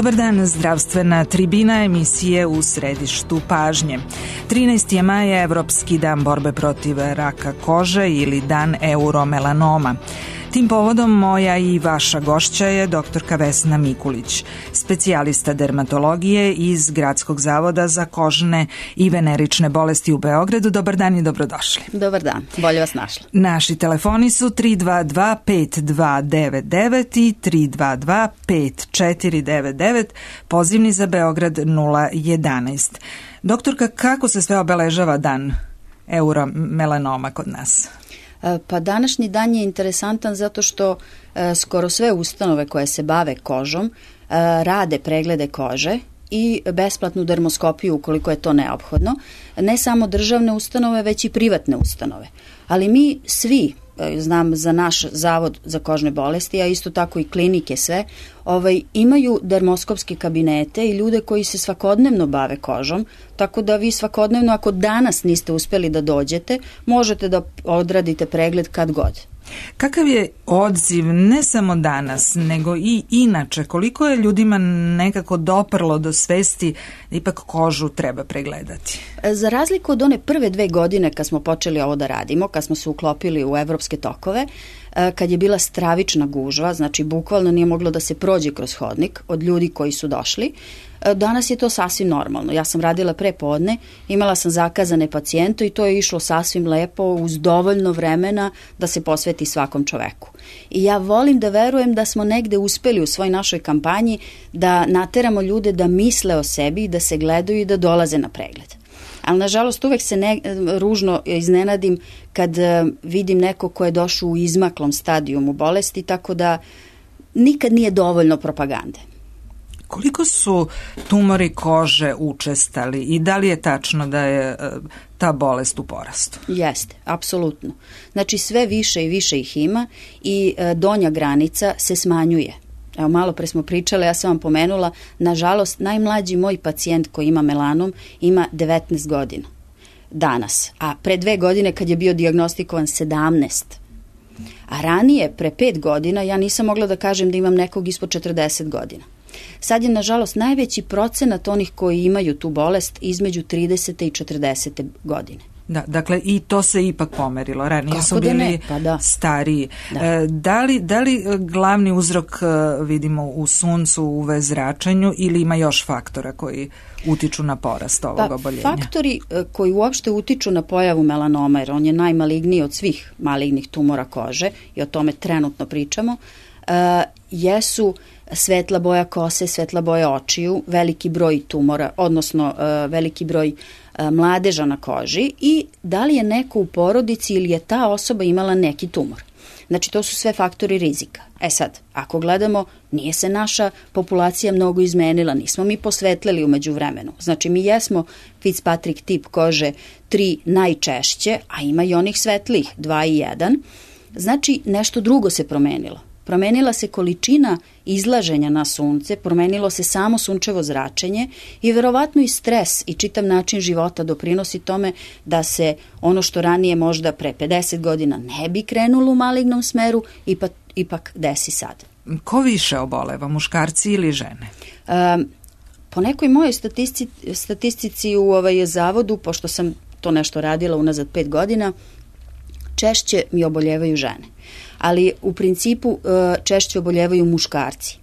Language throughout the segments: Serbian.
Dobar dan, zdravstvena tribina emisije u središtu pažnje. 13. je maj, Evropski dan borbe protiv raka kože ili dan euromelanoma. Tim povodom moja i vaša gošća je doktorka Vesna Mikulić, specijalista dermatologije iz Gradskog zavoda za kožne i venerične bolesti u Beogradu. Dobar dan i dobrodošli. Dobar dan, bolje vas našla. Naši telefoni su 322-5299 i 322-5499, pozivni za Beograd 011. Doktorka, kako se sve obeležava dan euromelanoma kod nas? Pa današnji dan je interesantan zato što skoro sve ustanove koje se bave kožom rade preglede kože i besplatnu dermoskopiju ukoliko je to neophodno. Ne samo državne ustanove, već i privatne ustanove. Ali mi svi, znam za naš zavod za kožne bolesti, a isto tako i klinike sve, imaju dermoskopske kabinete i ljude koji se svakodnevno bave kožom, tako da vi svakodnevno, ako danas niste uspeli da dođete, možete da odradite pregled kad god. Kakav je odziv ne samo danas, nego i inače? Koliko je ljudima nekako doprlo do svesti da ipak kožu treba pregledati? Za razliku od one prve 2 godine kad smo počeli ovo da radimo, kad smo se uklopili u evropske tokove, kad je bila stravična gužva, znači bukvalno nije moglo da se prođe kroz hodnik od ljudi koji su došli, danas je to sasvim normalno. Ja sam radila prepodne, imala sam zakazane pacijente i to je išlo sasvim lepo uz dovoljno vremena da se posveti svakom čoveku. I ja volim da verujem da smo negde uspeli u svoj našoj kampanji da nateramo ljude da misle o sebi, da se gledaju i da dolaze na pregled. Ali nažalost uvek se ružno iznenadim kad vidim neko ko je došao u izmaklom stadijumu bolesti, tako da nikad nije dovoljno propagande. Koliko su tumori kože učestali i da li je tačno da je ta bolest u porastu? Jeste, apsolutno. Znači sve više i više ih ima i donja granica se smanjuje. Evo, malo pre smo pričali, ja sam vam pomenula, nažalost, najmlađi moj pacijent koji ima melanom ima 19 godina danas, a pre 2 godine kad je bio dijagnostikovan 17. A ranije, pre 5 godina, ja nisam mogla da kažem da imam nekog ispod 40 godina. Sad je, nažalost, najveći procenat onih koji imaju tu bolest između 30. i 40. godine. Da, dakle i to se ipak pomerilo. Ranije su bili stariji. Da li glavni uzrok vidimo u suncu, u UV zračenju ili ima još faktora koji utiču na porast ovog oboljenja? Faktori koji uopšte utiču na pojavu melanoma, jer on je najmaligniji od svih malignih tumora kože i o tome trenutno pričamo, jesu svetla boja kose, svetla boja očiju, veliki broj tumora, odnosno veliki broj mladeža na koži i da li je neko u porodici ili je ta osoba imala neki tumor. Znači, to su sve faktori rizika. Sad, ako gledamo, nije se naša populacija mnogo izmenila, nismo mi posvetlili umeđu vremenu. Znači, mi jesmo Fitzpatrick tip kože 3 najčešće, a ima i onih svetlih 2 i 1. Znači, nešto drugo se promenilo. Promenila se količina izlaženja na sunce, promenilo se samo sunčevo zračenje i verovatno i stres i čitav način života doprinosi tome da se ono što ranije možda pre 50 godina ne bi krenulo u malignom smeru, ipak desi sad. Ko više oboleva, muškarci ili žene? Po nekoj mojoj statistici u zavodu, pošto sam to nešto radila unazad 5 godina, češće mi oboljevaju žene. Ali u principu češće oboljevaju muškarci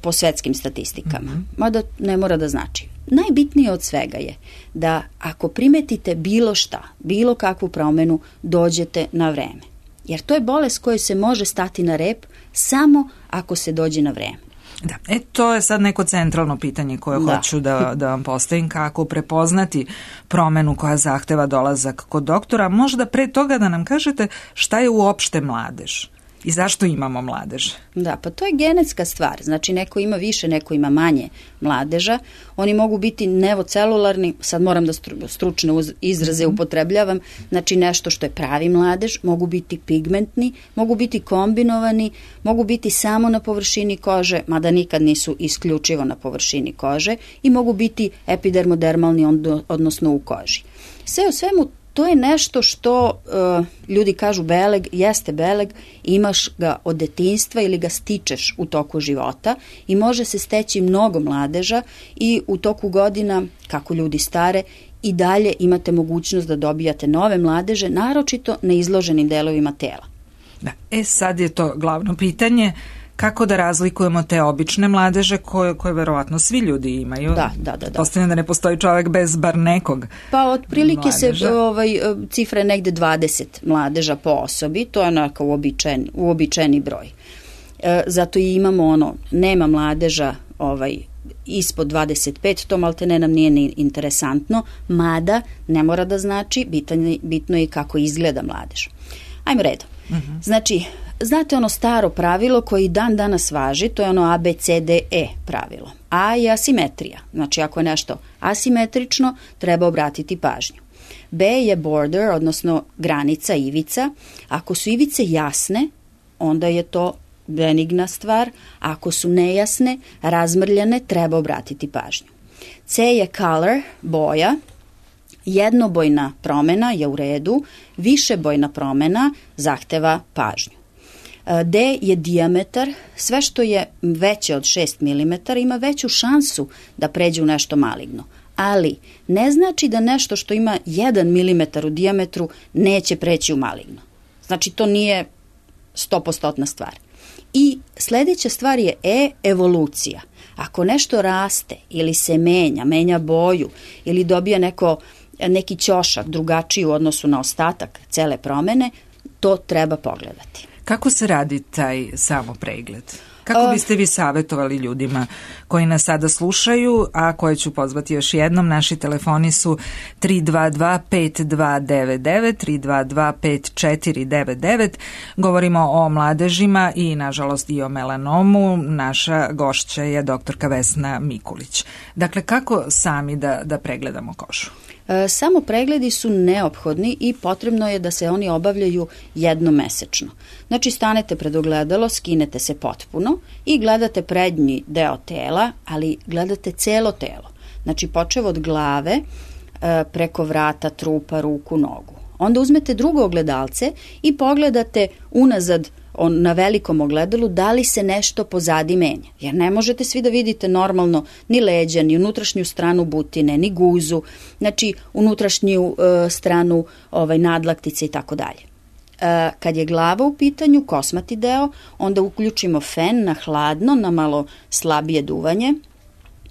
po svetskim statistikama. Mada ne mora da znači. Najbitnije od svega je da ako primetite bilo šta, bilo kakvu promenu, dođete na vreme. Jer to je bolest kojoj se može stati na rep samo ako se dođe na vreme. Da, to je sad neko centralno pitanje koje hoću da vam postavim, kako prepoznati promenu koja zahteva dolazak kod doktora. Možda pre toga da nam kažete šta je uopšte mladež i zašto imamo mladež? Da, pa to je genetska stvar. Znači, neko ima više, neko ima manje mladeža. Oni mogu biti nevocelularni, sad moram da stručne izraze upotrebljavam, znači nešto što je pravi mladež, mogu biti pigmentni, mogu biti kombinovani, mogu biti samo na površini kože, mada nikad nisu isključivo na površini kože, i mogu biti epidermodermalni, odnosno u koži. Sve u svemu to je nešto što ljudi kažu beleg, jeste beleg, imaš ga od detinjstva ili ga stičeš u toku života i može se steći mnogo mladeža i u toku godina, kako ljudi stare, i dalje imate mogućnost da dobijate nove mladeže, naročito na izloženim delovima tela. Da. Sad je to glavno pitanje, kako da razlikujemo te obične mladeže koje verovatno svi ljudi imaju. Da. Postavljam da ne postoji čovjek bez bar nekog Pa otprilike mladeža. Cifra je negde 20 mladeža po osobi, to je onako uobičajeni broj. Zato i imamo nema mladeža ispod 25, to maltene nam nije ni interesantno, mada ne mora da znači, bitno je kako izgleda mladež. Ajmo redom. Znači, znate ono staro pravilo koji dan danas važi, to je ono ABCDE pravilo. A je asimetrija. Znači, ako je nešto asimetrično, treba obratiti pažnju. B je border, odnosno granica, ivica. Ako su ivice jasne, onda je to benigna stvar. Ako su nejasne, razmrljane, treba obratiti pažnju. C je color, boja. Jednobojna promena je u redu, višebojna promena zahteva pažnju. D je dijametar, sve što je veće od 6 mm ima veću šansu da pređe u nešto maligno, ali ne znači da nešto što ima 1 mm u dijametru neće preći u maligno. Znači to nije 100% stvar. I sledeća stvar je evolucija. Ako nešto raste ili se menja boju ili dobija neki ćošak drugačiji u odnosu na ostatak cele promene, to treba pogledati. Kako se radi taj samopregled? Kako biste vi savjetovali ljudima koji nas sada slušaju, a koje ću pozvati još jednom? Naši telefoni su 322-5299, 322-5499. Govorimo o mladežima i, nažalost, i o melanomu. Naša gošća je doktorka Vesna Mikulić. Dakle, kako sami da pregledamo kožu? Samo pregledi su neophodni i potrebno je da se oni obavljaju jednomesečno. Znači, stanete pred ogledalo, skinete se potpuno i gledate prednji deo tela, ali gledate celo telo. Znači, počev od glave, preko vrata, trupa, ruku, nogu. Onda uzmete drugo ogledalce i pogledate unazad na velikom ogledalu da li se nešto pozadi menja. Jer ne možete svi da vidite normalno ni leđa, ni unutrašnju stranu butine, ni guzu, znači unutrašnju stranu nadlaktice i tako dalje. Kad je glava u pitanju, kosmati deo, onda uključimo fen na hladno, na malo slabije duvanje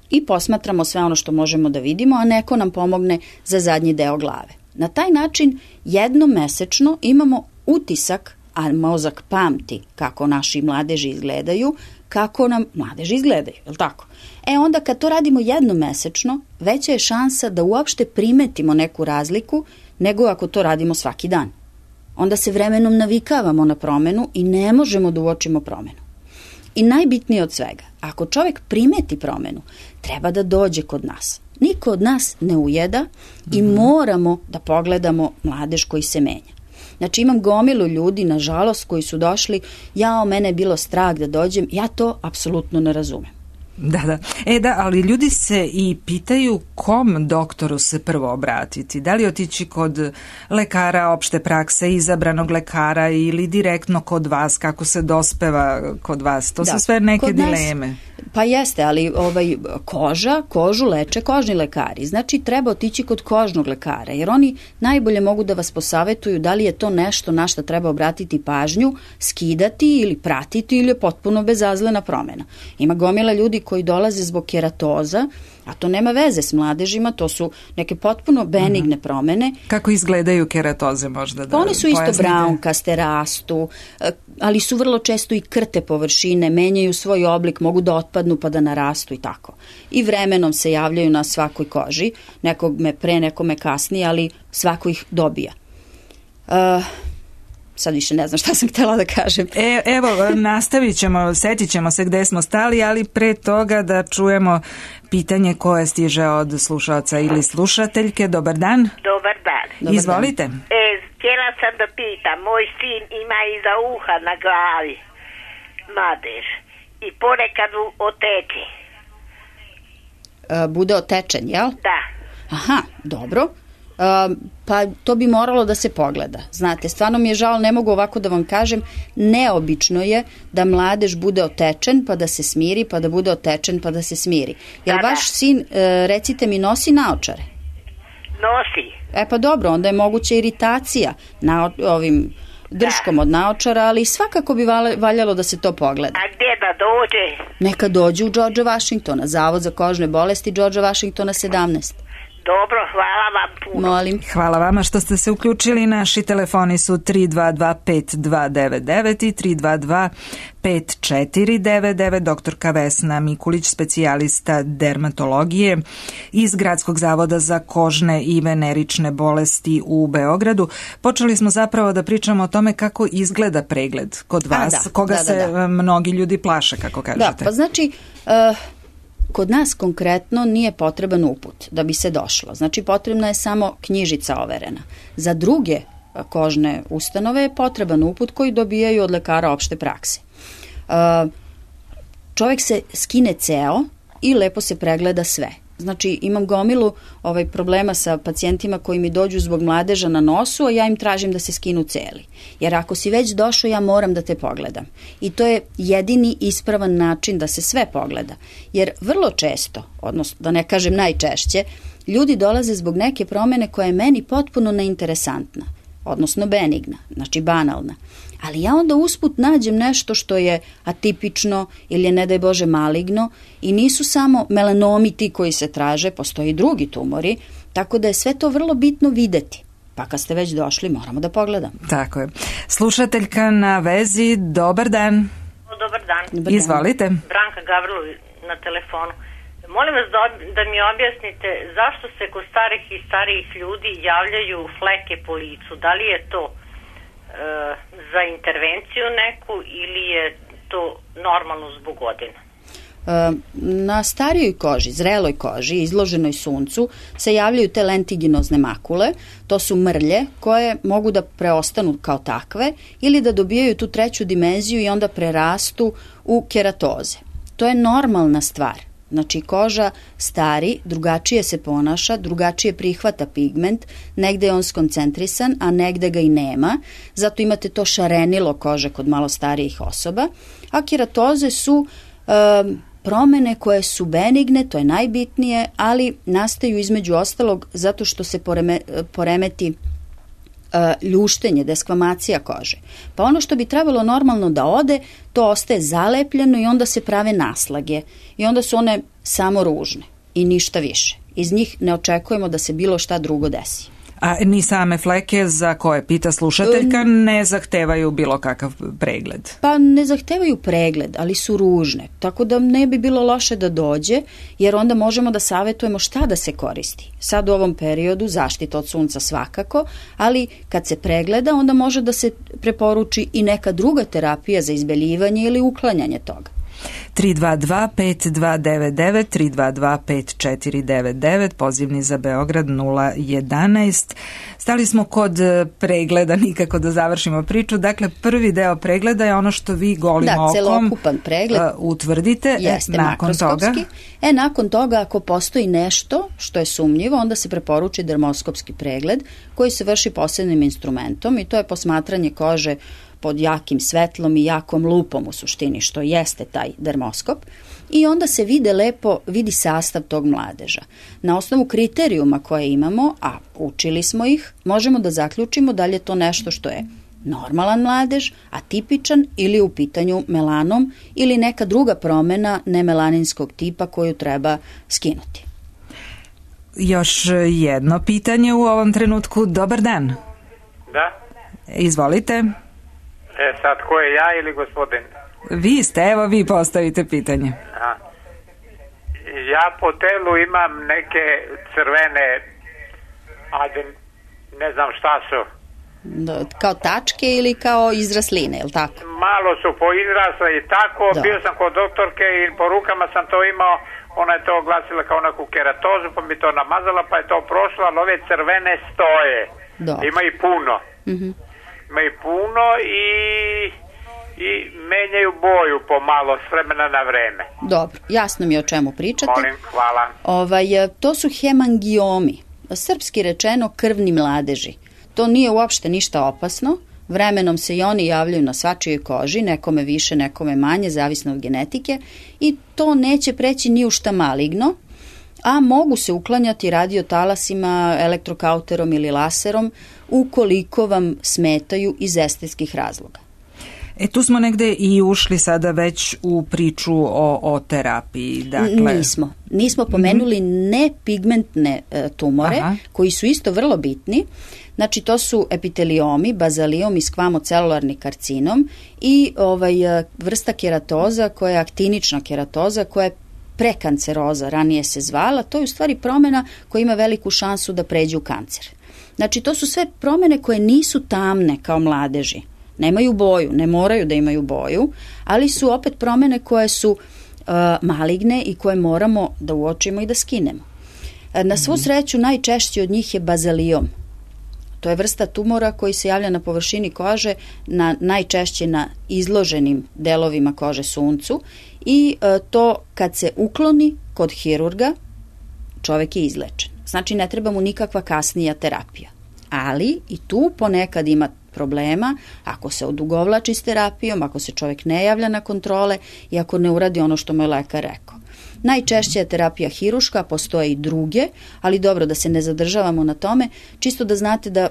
i posmatramo sve ono što možemo da vidimo, a neko nam pomogne za zadnji deo glave. Na taj način jednomesečno imamo utisak, a mozak pamti kako naši mladeži izgledaju, kako nam mladeži izgledaju, je li tako? Onda kad to radimo jednomesečno, veća je šansa da uopšte primetimo neku razliku nego ako to radimo svaki dan. Onda se vremenom navikavamo na promenu i ne možemo da uočimo promenu. I najbitnije od svega, ako čovjek primeti promenu, treba da dođe kod nas. Niko od nas ne ujeda i moramo da pogledamo mladež koji se menja. Znači, imam gomilu ljudi, nažalost, koji su došli, mene je bilo strah da dođem, ja to apsolutno ne razumem. Da. Ali ljudi se i pitaju kom doktoru se prvo obratiti. Da li otići kod lekara opšte prakse, izabranog lekara ili direktno kod vas, kako se dospeva kod vas? To su sve neke dileme. Pa jeste, ali kožu leče kožni lekari. Znači, treba otići kod kožnog lekara, jer oni najbolje mogu da vas posavetuju da li je to nešto na što treba obratiti pažnju, skidati ili pratiti ili je potpuno bezazlena promena. Ima gomila ljudi koji dolaze zbog keratoza, a to nema veze s mladežima, to su neke potpuno benigne promene. Kako izgledaju keratoze možda da one su isto braunkaste, rastu, ali su vrlo često i krte površine, menjaju svoj oblik, mogu da otpadnu pa da narastu i tako. I vremenom se javljaju na svakoj koži, nekome pre, nekome kasnije, ali svako ih dobija. Sad više ne znam šta sam htjela da kažem. Evo, nastavit ćemo, setit ćemo se gde smo stali, ali pre toga da čujemo pitanje koje stiže od slušaoca ili slušateljke. Dobar dan. Dobar dan. Izvolite. Htjela sam da pitam, moj sin ima iza uha na glavi madež i ponekad oteče. Bude otečen, jel? Da. Aha, dobro. Pa to bi moralo da se pogleda. Znate, stvarno mi je žao, ne mogu ovako da vam kažem, neobično je da mladež bude otečen pa da se smiri, pa da bude otečen pa da se smiri. Jel vaš sin, recite mi, nosi naočare? Nosi. Pa dobro, onda je moguća iritacija na ovim drškom od naočara, ali svakako bi valjalo da se to pogleda. A gdje da dođe? Neka dođe u George Washingtona, Zavod za kožne bolesti George Washingtona 17. Dobro, hvala vam puno. Molim. Hvala vama što ste se uključili. Naši telefoni su 322-5299 i 322-5499. Doktorka Vesna Mikulić, specijalista dermatologije iz Gradskog zavoda za kožne i venerične bolesti u Beogradu. Počeli smo zapravo da pričamo o tome kako izgleda pregled kod vas, koga se mnogi ljudi plaše, kako kažete. Da, pa znači... Kod nas konkretno nije potreban uput da bi se došlo. Znači potrebna je samo knjižica overena. Za druge kožne ustanove je potreban uput koji dobijaju od lekara opšte prakse. Čovjek se skine ceo i lepo se pregleda sve. Znači imam gomilu problema sa pacijentima koji mi dođu zbog mladeža na nosu, a ja im tražim da se skinu celi. Jer ako si već došao, ja moram da te pogledam. I to je jedini ispravan način da se sve pogleda. Jer vrlo često, odnosno da ne kažem najčešće, ljudi dolaze zbog neke promene koja je meni potpuno neinteresantna, odnosno benigna, znači banalna. Ali ja onda usput nađem nešto što je atipično ili je, ne daj Bože, maligno i nisu samo melanomi ti koji se traže, postoji i drugi tumori, tako da je sve to vrlo bitno videti. Pa kad ste već došli, moramo da pogledamo. Tako je. Slušateljka na vezi, dobar dan. Dobar dan. Izvolite. Branka Gavrilović na telefonu. Molim vas da mi objasnite zašto se kod starih i starijih ljudi javljaju fleke po licu. Da li je to za intervenciju neku ili je to normalno zbog godina? Na starijoj koži, zreloj koži, izloženoj suncu, se javljaju te lentiginozne makule. To su mrlje koje mogu da preostanu kao takve ili da dobijaju tu treću dimenziju i onda prerastu u keratoze. To je normalna stvar. Znači koža stari, drugačije se ponaša, drugačije prihvata pigment, negde je on skoncentrisan, a negde ga i nema, zato imate to šarenilo kože kod malo starijih osoba, a keratoze su promene koje su benigne, to je najbitnije, ali nastaju između ostalog zato što se poremeti ljuštenje, deskvamacija kože. Pa ono što bi trebalo normalno da ode, to ostaje zalepljeno i onda se prave naslage. I onda su one samo ružne i ništa više. Iz njih ne očekujemo da se bilo šta drugo desi. A ni same fleke za koje pita slušateljka ne zahtevaju bilo kakav pregled? Pa ne zahtevaju pregled, ali su ružne. Tako da ne bi bilo loše da dođe, jer onda možemo da savetujemo šta da se koristi. Sad u ovom periodu zaštita od sunca svakako, ali kad se pregleda onda može da se preporuči i neka druga terapija za izbeljivanje ili uklanjanje toga. 322-5299, 322-5499, pozivni za Beograd 011. Stali smo kod pregleda, nikako da završimo priču. Dakle, prvi deo pregleda je ono što vi golim okom celokupan pregled utvrdite. Jeste nakon toga? Nakon toga, ako postoji nešto što je sumnjivo, onda se preporuči dermoskopski pregled koji se vrši posebnim instrumentom i to je posmatranje kože pod jakim svetlom i jakom lupom u suštini, što jeste taj dermoskop. I onda se vidi sastav tog mladeža. Na osnovu kriterijuma koje imamo, a učili smo ih, možemo da zaključimo da li je to nešto što je normalan mladež, atipičan ili u pitanju melanom ili neka druga promena nemelaninskog tipa koju treba skinuti. Još jedno pitanje u ovom trenutku. Dobar dan. Da. Izvolite. Sad, ko je, ja ili gospodin? Vi ste, evo vi postavite pitanje. Ja po telu imam neke crvene, ne znam šta su. Kao tačke ili kao izrasline, je li tako? Malo su poizrasle i tako. Bio sam kod doktorke i po rukama sam to imao. Ona je to oglasila kao neku keratozu, pa mi to namazala, pa je to prošlo, ali ove crvene stoje. Ima i puno. Ima i puno i menjaju boju pomalo s vremena na vreme. Dobro, jasno mi je o čemu pričate. Molim, hvala. To su hemangiomi srpski rečeno krvni mladeži. To nije uopšte ništa opasno, vremenom se i oni javljaju na svačijoj koži, nekome više, nekome manje, zavisno od genetike, i to neće preći ni u šta maligno, a mogu se uklanjati radiotalasima, elektrokauterom ili laserom ukoliko vam smetaju iz estetskih razloga. Tu smo negde i ušli sada već u priču o terapiji. Dakle... Nismo pomenuli nepigmentne tumore, koji su isto vrlo bitni. Znači, to su epiteliomi, bazaliom i skvamocelularni karcinom i vrsta keratoza koja je aktinična keratoza, koja je prekanceroza, ranije se zvala. To je u stvari promjena koja ima veliku šansu da pređe u kancer. Znači, to su sve promjene koje nisu tamne kao mladeži. Nemaju boju, ne moraju da imaju boju, ali su opet promjene koje su maligne i koje moramo da uočimo i da skinemo. Na svu sreću najčešći od njih je bazaliom. To je vrsta tumora koji se javlja na površini kože, najčešće na izloženim delovima kože suncu, i to kad se ukloni kod hirurga, čovek je izlečen. Znači, ne treba mu nikakva kasnija terapija. Ali i tu ponekad ima problema ako se odugovlači s terapijom, ako se čovjek ne javlja na kontrole i ako ne uradi ono što mu je lekar rekao. Najčešće je terapija hiruška, postoje i druge, ali dobro, da se ne zadržavamo na tome, čisto da znate da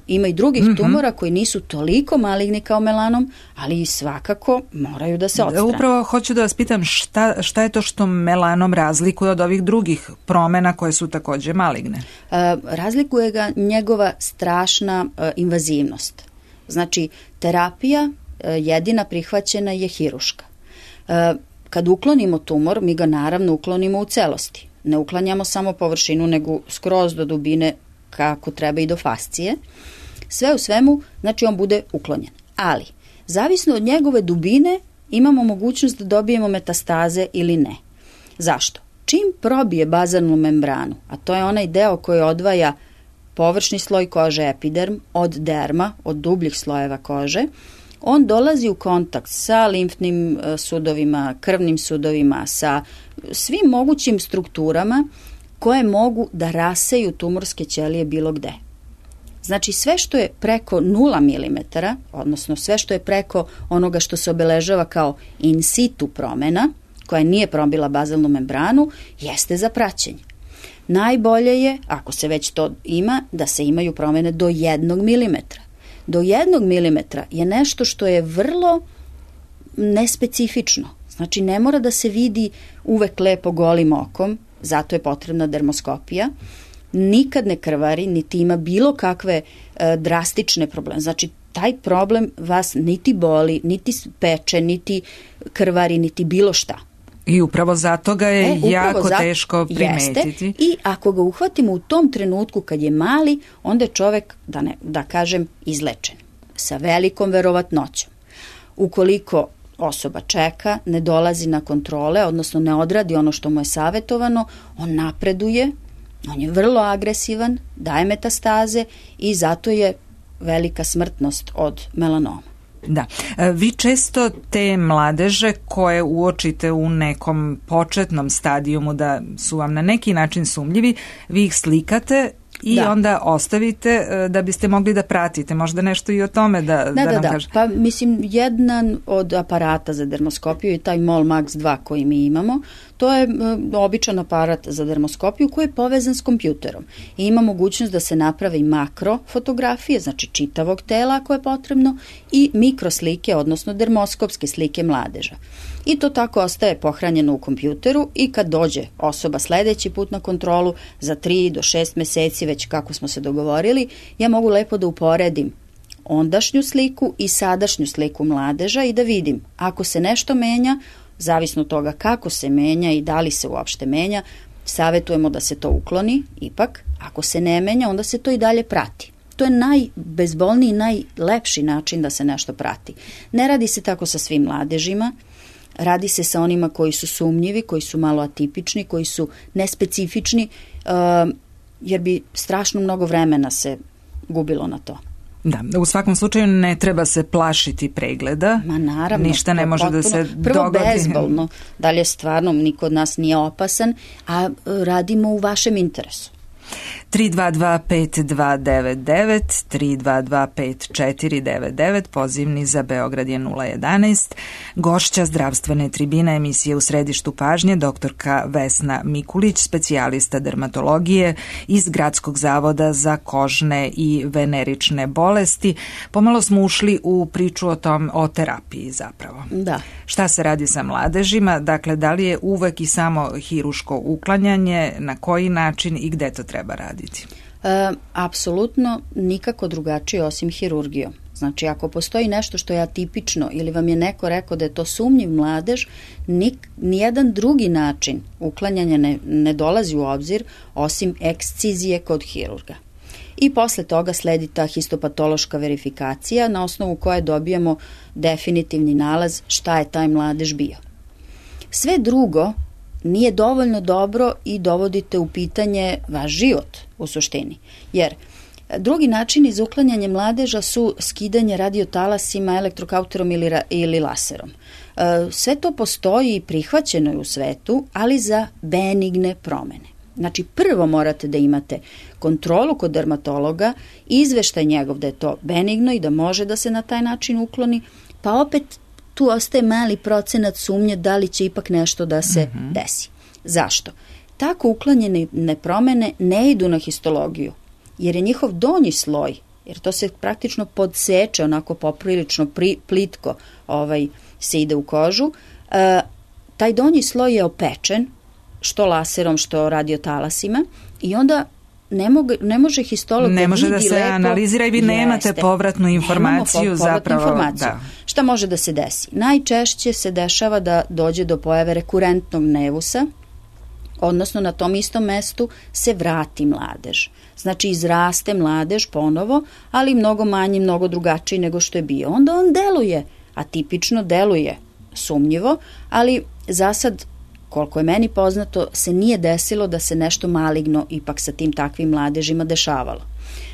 ima i drugih tumora koji nisu toliko maligni kao melanom, ali i svakako moraju da se odstrane. Upravo hoću da vas pitam šta je to što melanom razlikuje od ovih drugih promjena koje su također maligne? Razlikuje ga njegova strašna invazivnost. Znači, terapija jedina prihvaćena je hiruška. Kad uklonimo tumor, mi ga naravno uklonimo u celosti. Ne uklanjamo samo površinu, nego skroz do dubine, kako treba i do fascije. Sve u svemu, znači, on bude uklonjen. Ali, zavisno od njegove dubine, imamo mogućnost da dobijemo metastaze ili ne. Zašto? Čim probije bazalnu membranu, a to je onaj deo koji odvaja površni sloj kože epiderm od derma, od dubljih slojeva kože, on dolazi u kontakt sa limfnim sudovima, krvnim sudovima, sa svim mogućim strukturama koje mogu da raseju tumorske ćelije bilo gde. Znači, sve što je preko 0 mm, odnosno sve što je preko onoga što se obeležava kao in situ promjena, koja nije probila bazalnu membranu, jeste za praćenje. Najbolje je, ako se već to ima, da se imaju promjene do 1 mm. Do 1 mm je nešto što je vrlo nespecifično. Znači, ne mora da se vidi uvek lepo golim okom, zato je potrebna dermoskopija. Nikad ne krvari, niti ima bilo kakve drastične probleme. Znači, taj problem vas niti boli, niti peče, niti krvari, niti bilo šta. I upravo zato ga je jako teško primetiti. Jeste. I ako ga uhvatimo u tom trenutku kad je mali, onda je čovek, da kažem, izlečen. Sa velikom verovatnoćom. Ukoliko osoba čeka, ne dolazi na kontrole, odnosno ne odradi ono što mu je savjetovano, on napreduje, on je vrlo agresivan, daje metastaze i zato je velika smrtnost od melanoma. Da. Vi često te mladeže koje uočite u nekom početnom stadijumu da su vam na neki način sumnjivi, vi ih slikate i onda ostavite da biste mogli da pratite. Možda nešto i o tome da nam kažete. Pa mislim, jedan od aparata za dermoskopiju je taj MOL Max 2 koji mi imamo. To je običan aparat za dermoskopiju koji je povezan s kompjuterom. I ima mogućnost da se napravi makro fotografije, znači čitavog tela ako je potrebno, i mikroslike, odnosno dermoskopske slike mladeža. I to tako ostaje pohranjeno u kompjuteru i kad dođe osoba sledeći put na kontrolu za 3 do 6 meseci, već kako smo se dogovorili, ja mogu lepo da uporedim ondašnju sliku i sadašnju sliku mladeža i da vidim ako se nešto menja, zavisno od toga kako se menja i da li se uopšte menja, savjetujemo da se to ukloni, ipak ako se ne menja, onda se to i dalje prati. To je najbezbolniji i najlepši način da se nešto prati. Ne radi se tako sa svim mladežima, radi se sa onima koji su sumnjivi, koji su malo atipični, koji su nespecifični, jer bi strašno mnogo vremena se gubilo na to. Da, u svakom slučaju ne treba se plašiti pregleda. Ma naravno. Ništa ne može da se dogodi. Prvo bezbolno, dalje stvarno niko od nas nije opasan, a radimo u vašem interesu. 322-5299, 322-5499, pozivni za Beograd je 011. Gošća zdravstvene tribine emisije U središtu pažnje, doktorka Vesna Mikulić, specijalista dermatologije iz Gradskog zavoda za kožne i venerične bolesti. Pomalo smo ušli u priču o terapiji zapravo. Da. Šta se radi sa mladežima? Dakle, da li je uvek i samo hiruško uklanjanje, na koji način i gde to treba raditi? Apsolutno nikako drugačije osim hirurgijom. Znači, ako postoji nešto što je atipično ili vam je neko rekao da je to sumnjiv mladež, nijedan drugi način uklanjanja ne dolazi u obzir osim ekscizije kod hirurga. I posle toga sledi ta histopatološka verifikacija na osnovu koje dobijamo definitivni nalaz šta je taj mladež bio. Sve drugo nije dovoljno dobro i dovodite u pitanje vaš život u suštini. Jer drugi načini za uklanjanje mladeža su skidanje radiotalasima, elektrokauterom ili laserom. Sve to postoji i prihvaćeno je u svetu, ali za benigne promene. Znači, prvo morate da imate kontrolu kod dermatologa, izveštaj njegov da je to benigno i da može da se na taj način ukloni, pa opet tu ostaje mali procenat sumnje da li će ipak nešto da se desi. Zašto? Tako uklanjene promene ne idu na histologiju, jer je njihov donji sloj, jer to se praktično podseče onako poprilično plitko se ide u kožu, taj donji sloj je opečen, što laserom, što radiotalasima, i onda ne može histolog ne može da se analizira i vi nemate povratnu informaciju zapravo. Da. Šta može da se desi? Najčešće se dešava da dođe do pojave rekurentnog nevusa, odnosno na tom istom mestu se vrati mladež. Znači, izraste mladež ponovo, ali mnogo manji, mnogo drugačiji nego što je bio. Onda on deluje, atipično deluje sumnjivo, ali za sad, koliko je meni poznato, se nije desilo da se nešto maligno ipak sa tim takvim mladežima dešavalo.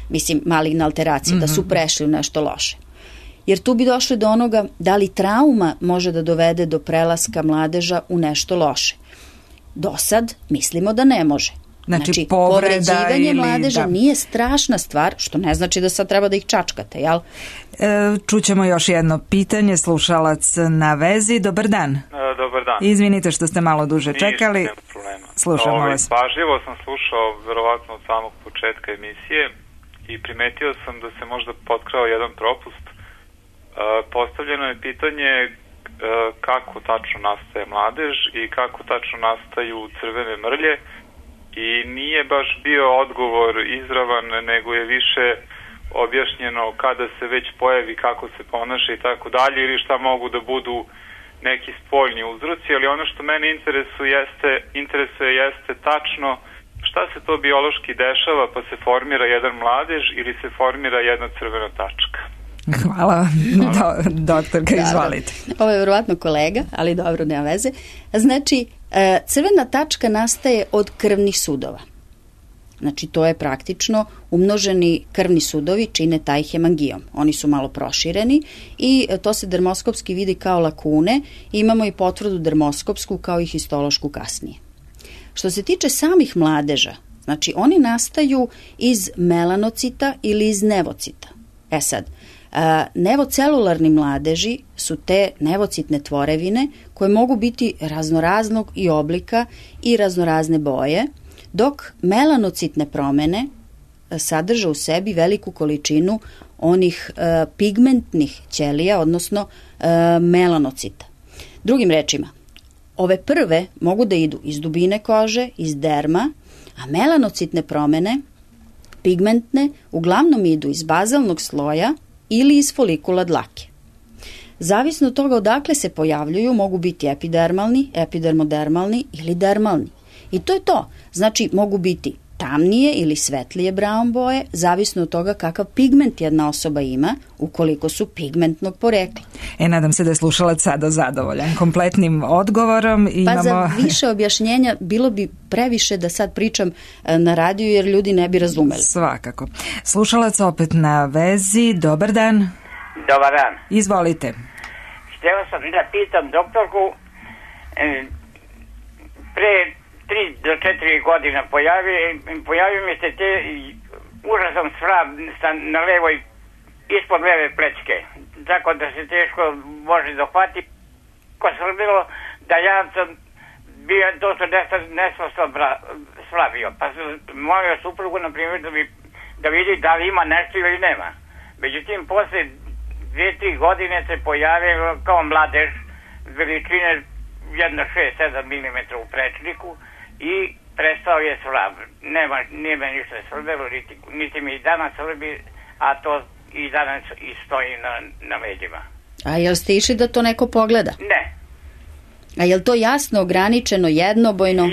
Mislim, maligna alteracija, da su prešli u nešto loše. Jer tu bi došli do onoga da li trauma može da dovede do prelaska mladeža u nešto loše. Do sad mislimo da ne može. Znači povređivanje mladeža nije strašna stvar, što ne znači da sad treba da ih čačkate, jel? Čućemo još jedno pitanje, slušalac na vezi. Dobar dan. Dobar dan. Izvinite što ste malo duže čekali. Nema problema. Slušamo vas. Pažljivo sam slušao verovatno od samog početka emisije i primetio sam da se možda potkrao jedan propust. Postavljeno je pitanje kako tačno nastaje mladež i kako tačno nastaju crvene mrlje, i nije baš bio odgovor izravan, nego je više objašnjeno kada se već pojavi, kako se ponaša i tako dalje, ili šta mogu da budu neki spoljni uzroci, ali ono što mene interesuje jeste tačno šta se to biološki dešava pa se formira jedan mladež ili se formira jedna crvena tačka. Hvala, doktorka, izvolite. Ovo je verovatno kolega, ali dobro, nema veze. Znači, crvena tačka nastaje od krvnih sudova. Znači, to je praktično umnoženi krvni sudovi čine taj hemangijom. Oni su malo prošireni i to se dermoskopski vidi kao lakune. Imamo i potvrdu dermoskopsku kao i histološku kasnije. Što se tiče samih mladeža, znači oni nastaju iz melanocita ili iz nevocita. Sad, nevocelularni mladeži su te nevocitne tvorevine koje mogu biti raznoraznog i oblika i raznorazne boje, dok melanocitne promene sadrže u sebi veliku količinu onih pigmentnih ćelija, odnosno melanocita. Drugim rečima, ove prve mogu da idu iz dubine kože, iz derma, a melanocitne promene, pigmentne, uglavnom idu iz bazalnog sloja ili iz folikula dlake. Zavisno od toga odakle se pojavljuju, mogu biti epidermalni, epidermodermalni ili dermalni. I to je to. Znači, mogu biti tamnije ili svetlije brown boje, zavisno od toga kakav pigment jedna osoba ima, ukoliko su pigmentnog porekla. Nadam se da je slušalac sada zadovoljan kompletnim odgovorom. Pa za više objašnjenja bilo bi previše da sad pričam na radiju, jer ljudi ne bi razumeli. Svakako. Slušalac opet na vezi. Dobar dan. Dobar dan. Izvolite. Htio sam da pitam doktorku, pre 3 do 4 godina pojavio mi se te užasan svrab na levoj, ispod leve plečke, tako da se teško može dohvati. Ko srbilo da ja sam bio dosta nesmo svrabio, pa sam molio suprugu, na primjer, da vidi da li ima nešto ili nema. Međutim, posle 2-3 godine se pojavio kao mladež veličine 1,6-7 mm u prečniku i prestao je svrab. Nije me ništa svrbelo, niti mi i danas svrbi, a to i danas i stoji na leđima. A jel ste išli da to neko pogleda? Ne. A jel to jasno, ograničeno, jednobojno?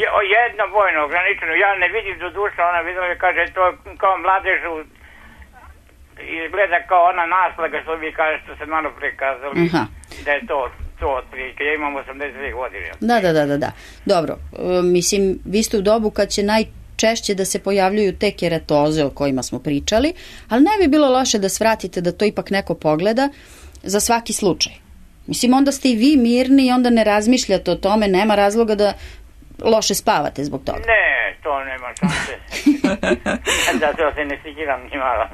Jednobojno, ograničeno. Ja ne vidim do duša, ona videla i kaže to kao mladežu, izgleda kao ona naslaga što vi kaže što se malo prekazali, da je to otprilike. Ja imam 82 godine. Da. Dobro, mislim, vi ste u dobu kad će najčešće da se pojavljuju te keratoze o kojima smo pričali, ali ne bi bilo loše da svratite da to ipak neko pogleda za svaki slučaj. Mislim, onda ste i vi mirni i onda ne razmišljate o tome, nema razloga da loše spavate zbog toga. Ne, to nema šanse. Da se ne sikiram ni malo.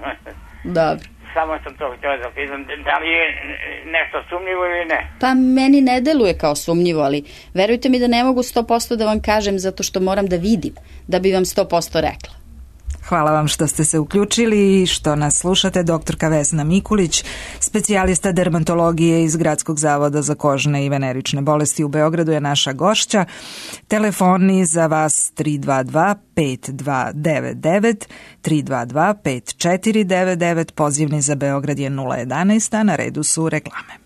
Dobro. Samo sam to htio da pitam, da li je nešto sumnjivo ili ne? Pa meni ne deluje kao sumnjivo, ali verujte mi da ne mogu 100% da vam kažem zato što moram da vidim, da bi vam 100% rekla. Hvala vam što ste se uključili i što nas slušate. Doktorka Vesna Mikulić, specijalista dermatologije iz Gradskog zavoda za kožne i venerične bolesti u Beogradu je naša gošća. Telefoni za vas 322-5299, 322-5499, pozivni za Beograd je 011, a na redu su reklame.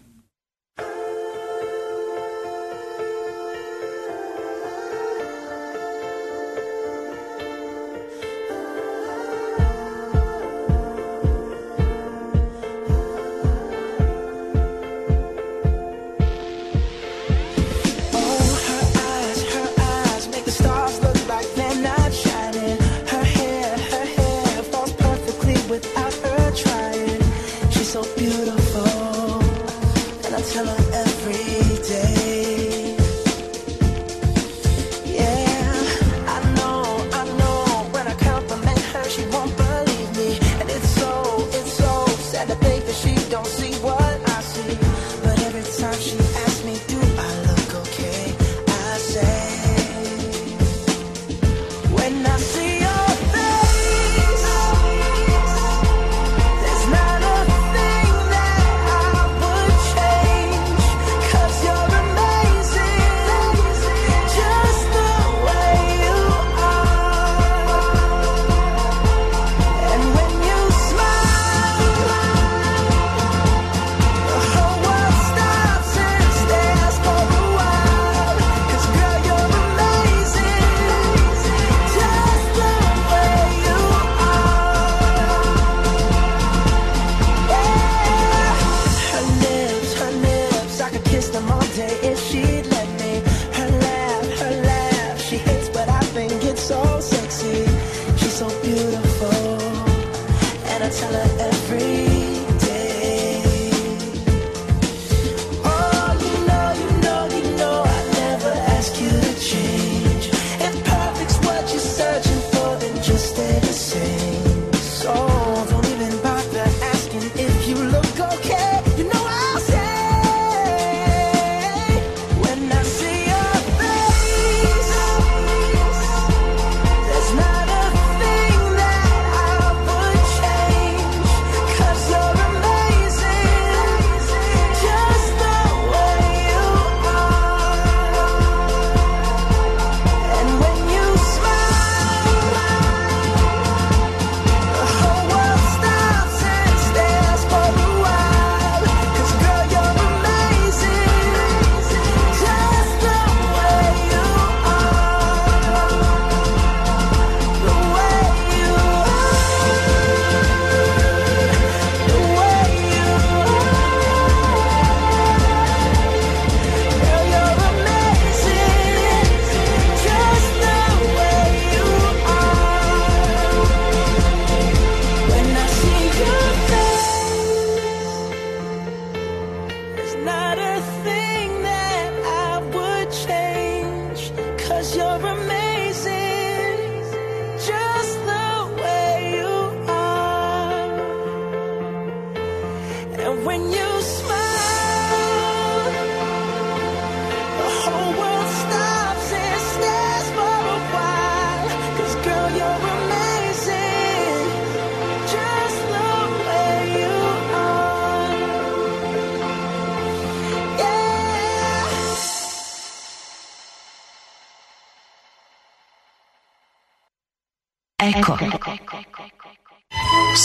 Eko.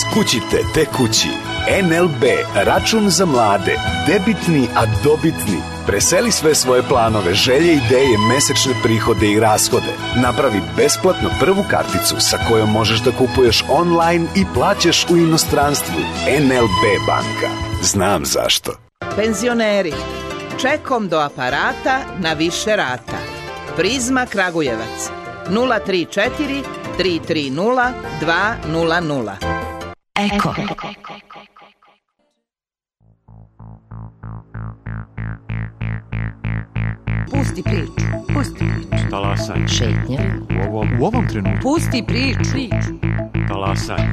Skućite te kući. NLB, račun za mlade. Debitni, a dobitni. Preseli sve svoje planove, želje, ideje, mesečne prihode i rashode. Napravi besplatno prvu karticu sa kojom možeš da kupuješ online i plaćaš u inostranstvu. NLB banka. Znam zašto. Penzioneri, čekom do aparata na više rata. Prizma Kragujevac 034 330 200. Eko. Pusti priču. Pusti priču. Talasanje. Šetnja. U ovom trenutku. Pusti priču. Talasanje.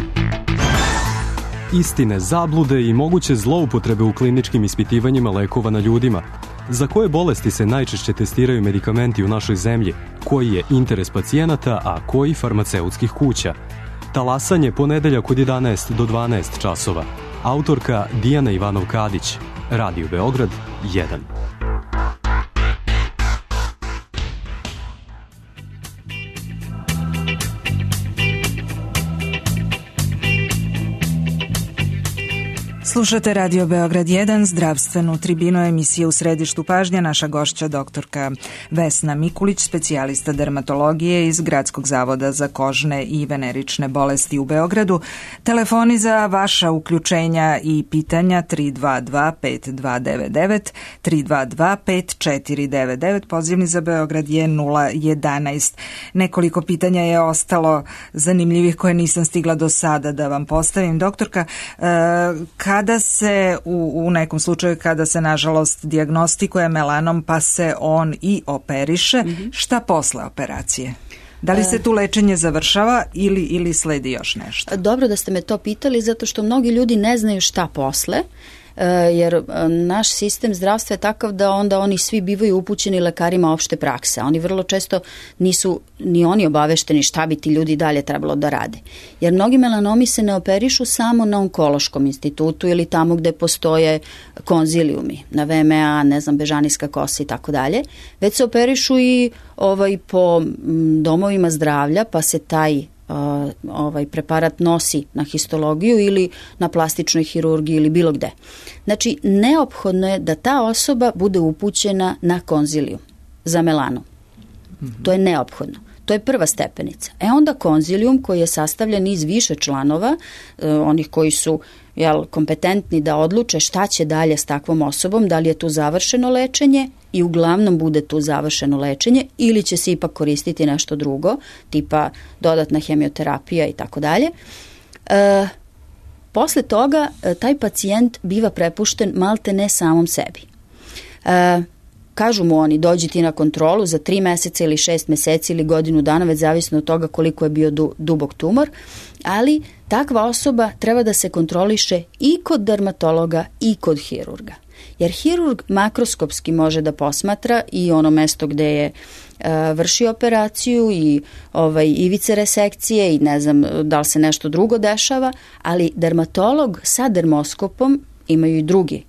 Istine, zablude i moguće zloupotrebe u kliničkim ispitivanjima lekova na ljudima. Za koje bolesti se najčešće testiraju medikamenti u našoj zemlji? Koji je interes pacijenata, a koji farmaceutskih kuća? Talasanje ponedeljak od 11 do 12 časova. Autorka Dijana Ivanov-Kadić. Radio Beograd 1. Slušate Radio Beograd 1, zdravstvenu tribinu emisije U središtu pažnje. Naša gošća doktorka Vesna Mikulić, specijalista dermatologije iz Gradskog zavoda za kožne i venerične bolesti u Beogradu. Telefoni za vaša uključenja i pitanja 322-5299, 322-5499, pozivni za Beograd je 011. Nekoliko pitanja je ostalo zanimljivih koje nisam stigla do sada da vam postavim. Doktorka, kada se u nekom slučaju, kada se nažalost dijagnostikuje melanom pa se on i operiše, šta posle operacije? Da li se tu lečenje završava ili sledi još nešto? Dobro da ste me to pitali, zato što mnogi ljudi ne znaju šta posle, jer naš sistem zdravstva je takav da onda oni svi bivaju upućeni lekarima opšte prakse. Oni vrlo često nisu ni oni obavešteni šta bi ti ljudi dalje trebalo da rade. Jer mnogi melanomi se ne operišu samo na onkološkom institutu ili tamo gde postoje konzilijumi, na VMA, bežanijska kosa i tako dalje, već se operišu i po domovima zdravlja, pa se taj preparat nosi na histologiju ili na plastičnoj hirurgiji ili bilo gde. Znači, neophodno je da ta osoba bude upućena na konzilijum za melanom. To je neophodno. To je prva stepenica. Onda konzilijum koji je sastavljen iz više članova, onih koji su kompetentni da odluče šta će dalje s takvom osobom, da li je tu završeno lečenje i uglavnom bude tu završeno lečenje ili će se ipak koristiti nešto drugo, tipa dodatna hemioterapija i tako dalje. Posle toga taj pacijent biva prepušten malte ne samom sebi. Kažu mu oni, dođi ti na kontrolu za 3 meseca ili 6 meseci ili godinu dana, već zavisno od toga koliko je bio dubok tumor, ali takva osoba treba da se kontroliše i kod dermatologa i kod hirurga. Jer hirurg makroskopski može da posmatra i ono mesto gde je vršio operaciju i ivice resekcije i ne znam da li se nešto drugo dešava, ali dermatolog sa dermoskopom imaju i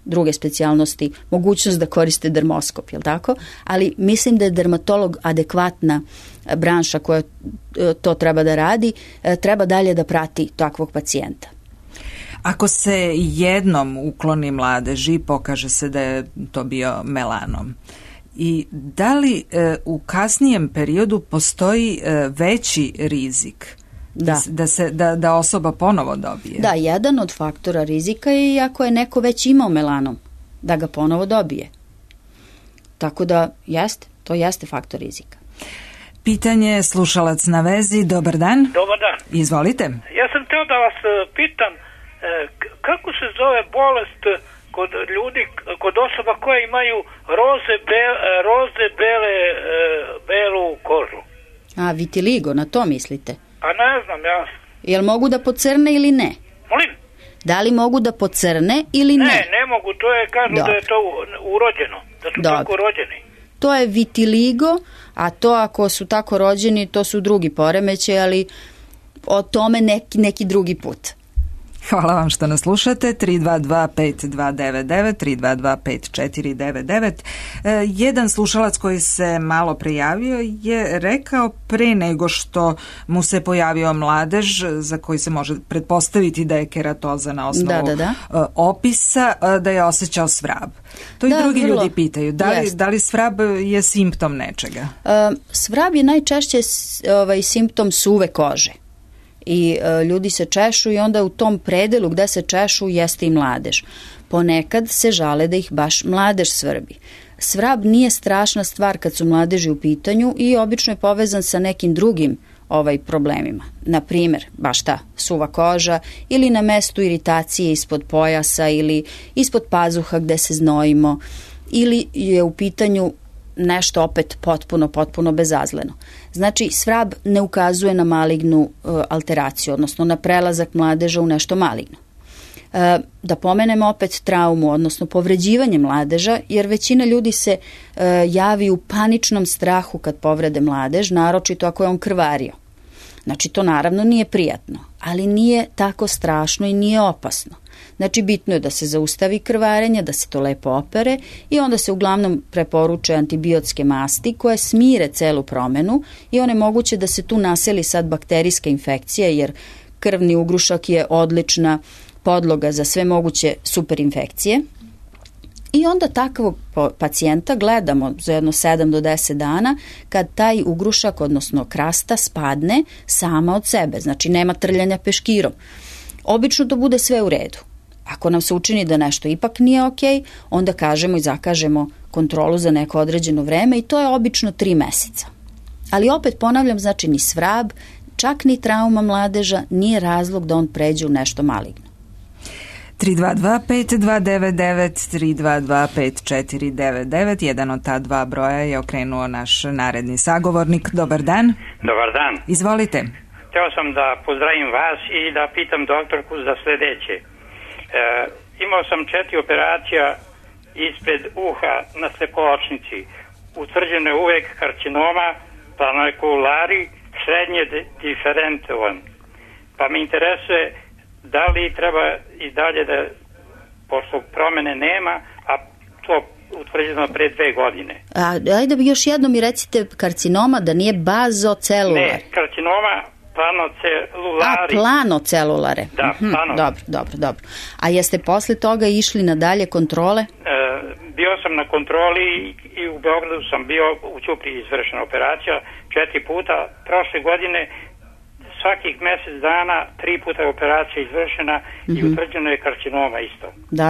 druge specijalnosti, mogućnost da koriste dermoskop, jel tako? Ali mislim da je dermatolog adekvatna branša koja to treba da radi, treba dalje da prati takvog pacijenta. Ako se jednom ukloni mladež i pokaže se da je to bio melanom, i da li u kasnijem periodu postoji veći rizik da osoba ponovo dobije? Da, jedan od faktora rizika je i ako je neko već imao melanom, da ga ponovo dobije. Tako da to jeste faktor rizika. Pitanje, slušalac na vezi, dobar dan. Dobar dan. Izvolite. Ja sam htio da vas pitam, kako se zove bolest kod ljudi, kod osoba koje imaju belu kožu? Vitiligo, na to mislite? A ne znam, ja. Jel mogu da pocrne ili ne? Molim? Da li mogu da pocrne ili ne? Ne mogu, kažu da je to urođeno, da su tako rođeni. To je vitiligo, a to ako su tako rođeni, to su drugi poremećaji, ali o tome neki drugi put. Hvala vam što nas slušate. 322-5299, 322-5499. Jedan slušalac koji se malo prijavio je rekao pre nego što mu se pojavio mladež, za koji se može pretpostaviti da je keratoza na osnovu opisa, da je osjećao svrab. To i drugi ljudi pitaju. Da li svrab je simptom nečega? Svrab je najčešće simptom suve kože. I ljudi se češu i onda u tom predelu gde se češu jeste i mladež. Ponekad se žale da ih baš mladež svrbi. Svrab nije strašna stvar kad su mladeži u pitanju i obično je povezan sa nekim drugim problemima. Na primjer, baš ta suva koža ili na mestu iritacije ispod pojasa ili ispod pazuha gde se znojimo ili je u pitanju nešto opet potpuno bezazleno. Znači, svrab ne ukazuje na malignu alteraciju, odnosno na prelazak mladeža u nešto maligno. Da pomenemo opet traumu, odnosno povređivanje mladeža, jer većina ljudi se javi u paničnom strahu kad povrede mladež, naročito ako je on krvario. Znači, to naravno nije prijatno, ali nije tako strašno i nije opasno. Znači, bitno je da se zaustavi krvarenje, da se to lepo opere i onda se uglavnom preporuče antibiotske masti koje smire celu promenu i one moguće da se tu naseli sad bakterijska infekcija, jer krvni ugrušak je odlična podloga za sve moguće superinfekcije. I onda takvog pacijenta gledamo za jedno 7 do 10 dana kad taj ugrušak, odnosno krasta, spadne sama od sebe. Znači, nema trljanja peškirom. Obično to bude sve u redu. Ako nam se učini da nešto ipak nije okej, onda kažemo i zakažemo kontrolu za neko određeno vreme i to je obično 3 meseca. Ali opet ponavljam, znači ni svrab, čak ni trauma mladeža nije razlog da on pređe u nešto maligno. 322-5299, 322-5499, jedan od ta dva broja je okrenuo naš naredni sagovornik. Dobar dan. Dobar dan. Izvolite. Hteo sam da pozdravim vas i da pitam doktorku za sledeće. Imao sam 4 operacija ispred uha na slepoočnici. Utvrđeno je uvek karcinoma planoekulari srednje diferentovan. Pa me interesuje da li treba i dalje da, pošto promene nema, a to utvrđeno pre 2 godine. Ajde još jednom mi recite karcinoma, da nije bazocelulare. Ne, karcinoma planocelulari. Planocelulare. Da, Dobro. A jeste posle toga išli na dalje kontrole? Bio sam na kontroli i u Beogradu sam bio u Ćupriji izvršena operacija 4 puta. Prošle godine svakih mesec dana 3 puta je operacija izvršena i utvrđeno je karcinoma isto. Da.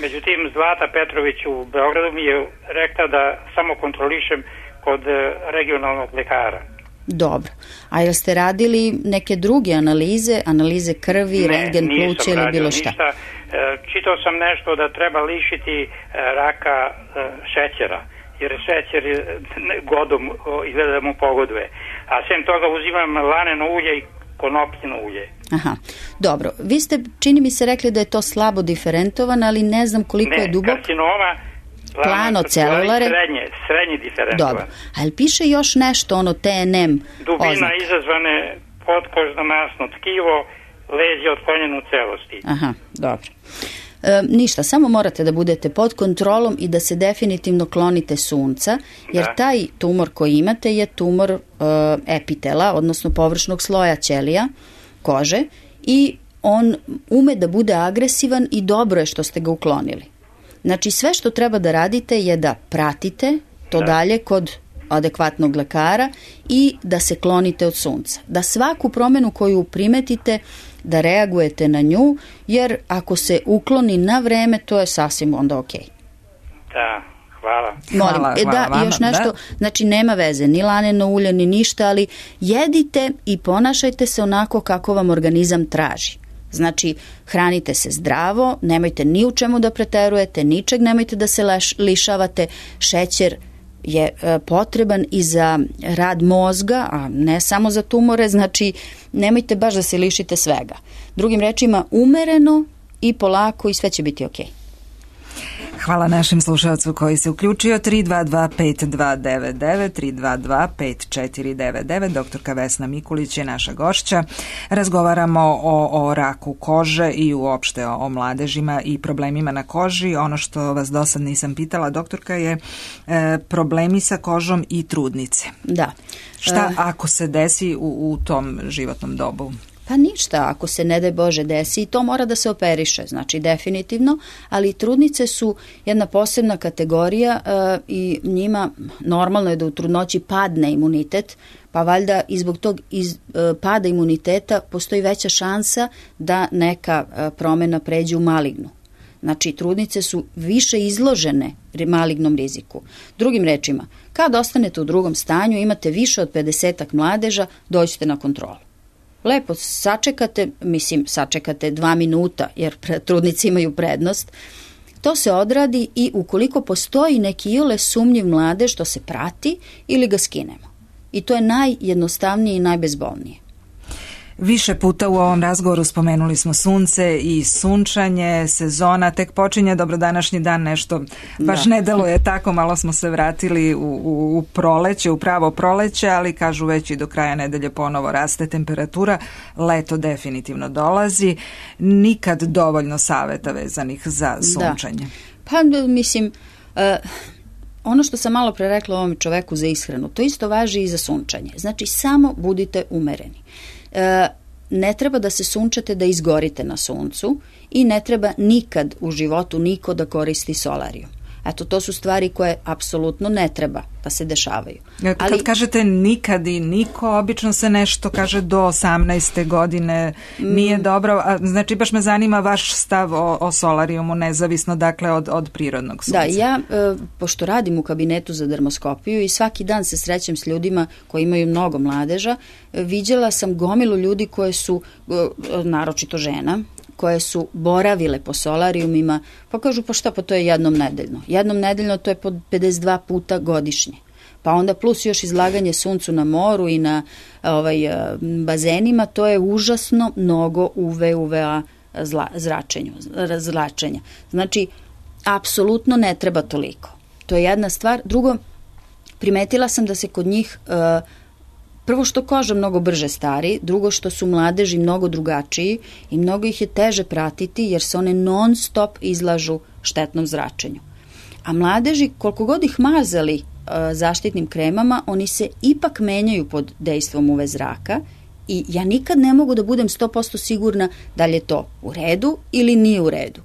Međutim, Zlata Petrović u Beogradu mi je rekla da samo kontrolišem kod regionalnog lekara. Dobro. A jel ste radili neke druge analize krvi, rentgen pluća ili bilo šta? Ništa. Čitao sam nešto da treba lišiti raka šećera, jer šećer godom izgleda da mu pogoduje. A sem toga uzimam laneno ulje i konopljino ulje. Aha, dobro. Vi ste, čini mi se, rekli da je to slabo diferentovan, ali ne znam koliko je dubok. Ne, karcinoma planocelulare. Srednji diferentovan. Dobro. Ali piše još nešto, ono TNM dubina oznaka. Izazvane potkožno masno tkivo, lezije otklonjene u celosti. Aha, dobro. Ništa, samo morate da budete pod kontrolom i da se definitivno klonite sunca, jer taj tumor koji imate je tumor epitela, odnosno površnog sloja ćelija, kože, i on ume da bude agresivan i dobro je što ste ga uklonili. Znači, sve što treba da radite je da pratite to dalje kod adekvatnog lekara i da se klonite od sunca. Da svaku promenu koju primetite, da reagujete na nju, jer ako se ukloni na vreme, to je sasvim onda okej. Da, hvala. Molim, i još nešto, znači nema veze, ni laneno ulje, ni ništa, ali jedite i ponašajte se onako kako vam organizam traži. Znači, hranite se zdravo, nemojte ni u čemu da preterujete, ničeg nemojte da se lišavate. Šećer je potreban i za rad mozga, a ne samo za tumore, znači nemojte baš da se lišite svega. Drugim rečima, umereno i polako i sve će biti okej. Hvala našim slušalcu koji se uključio. 322-5299, 322-5499. Doktorka Vesna Mikulić je naša gošća. Razgovaramo o raku kože i uopšte o mladežima i problemima na koži. Ono što vas do sad nisam pitala, doktorka, je problemi sa kožom i trudnice. Da. Šta ako se desi u tom životnom dobu? Pa ništa, ako se ne daj Bože desi, i to mora da se operiše, znači definitivno, ali trudnice su jedna posebna kategorija i njima normalno je da u trudnoći padne imunitet, pa valjda i zbog tog pada imuniteta postoji veća šansa da neka promena pređe u malignu. Znači, trudnice su više izložene malignom riziku. Drugim rečima, kad ostanete u drugom stanju, imate više od 50 mladeža, dođete na kontrolu. Lepo sačekate 2 minuta, jer trudnice imaju prednost. To se odradi i ukoliko postoji neki iole sumnjiv mladež, to se prati ili ga skinemo. I to je najjednostavnije i najbezbolnije. Više puta u ovom razgovoru spomenuli smo sunce i sunčanje, sezona tek počinje, dobro, današnji dan nešto baš ne deluje tako, malo smo se vratili u proleće, u pravo proleće, ali kažu već i do kraja nedelje ponovo raste temperatura, leto definitivno dolazi, nikad dovoljno saveta vezanih za sunčanje. Da. Pa mislim, ono što sam malo pre rekla ovom čoveku za ishranu, to isto važi i za sunčanje, znači samo budite umereni. Ne treba da se sunčate da izgorite na suncu i ne treba nikad u životu niko da koristi solariju. Eto, to su stvari koje apsolutno ne treba da se dešavaju. Kad kažete nikad i niko, obično se nešto kaže do 18. godine nije dobro. Znači, baš me zanima vaš stav o solarijumu, nezavisno dakle od prirodnog sunca. Da, ja, pošto radim u kabinetu za dermoskopiju i svaki dan se srećem s ljudima koji imaju mnogo mladeža, viđala sam gomilu ljudi koje su, naročito žena, koje su boravile po solarijumima, pa kažu pa šta, pa to je jednom nedeljno. Jednom nedeljno to je po 52 puta godišnje. Pa onda plus još izlaganje suncu na moru i na bazenima, to je užasno mnogo UV-UVA zračenja. Znači, apsolutno ne treba toliko. To je jedna stvar. Drugo, primetila sam da se kod njih prvo što koža mnogo brže stari, drugo što su mladeži mnogo drugačiji i mnogo ih je teže pratiti jer se one non stop izlažu štetnom zračenju. A mladeži, koliko god ih mazali zaštitnim kremama, oni se ipak menjaju pod dejstvom UV zraka i ja nikad ne mogu da budem 100% sigurna da li je to u redu ili nije u redu.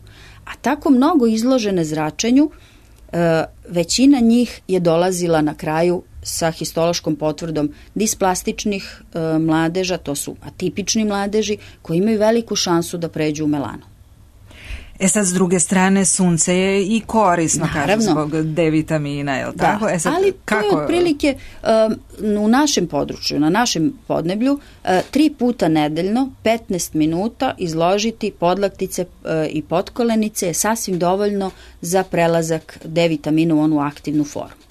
A tako mnogo izložene zračenju, većina njih je dolazila na kraju sa histološkom potvrdom displastičnih mladeža, to su atipični mladeži koji imaju veliku šansu da pređu u melanu. Sad, s druge strane, sunce je i korisno, kažem, zbog D vitamina, je li tako? Sad, ali to je otprilike u našem području, na našem podneblju, 3 puta nedeljno, 15 minuta izložiti podlaktice i potkolenice je sasvim dovoljno za prelazak D vitamina u onu aktivnu formu.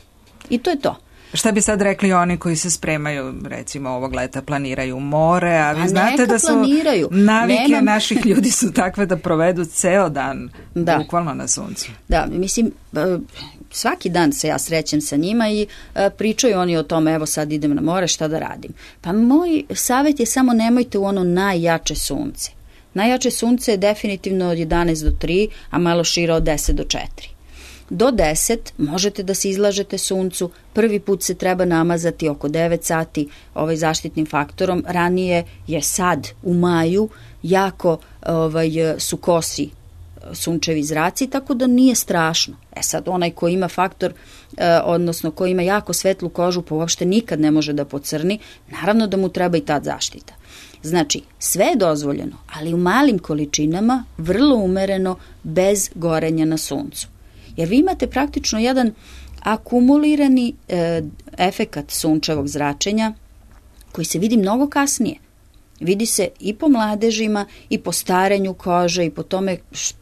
I to je to. Šta bi sad rekli oni koji se spremaju, recimo ovog leta planiraju more, a vi znate da su navike naših ljudi su takve da provedu ceo dan bukvalno na suncu. Da, mislim, svaki dan se ja srećem sa njima i pričaju oni o tome, evo sad idem na more, šta da radim. Pa moj savjet je samo nemojte u ono najjače sunce. Najjače sunce je definitivno od 11 do 3, a malo šire od 10 do 4. Do 10 možete da se izlažete suncu, prvi put se treba namazati oko 9 sati zaštitnim faktorom, ranije je sad u maju jako su kosi sunčevi zraci, tako da nije strašno. Sad onaj ko ima faktor, odnosno ko ima jako svetlu kožu, pa uopšte nikad ne može da pocrni, naravno da mu treba i tad zaštita. Znači, sve je dozvoljeno, ali u malim količinama, vrlo umereno, bez gorenja na suncu. Jer vi imate praktično jedan akumulirani efekat sunčevog zračenja koji se vidi mnogo kasnije. Vidi se i po mladežima i po starenju kože i po tome,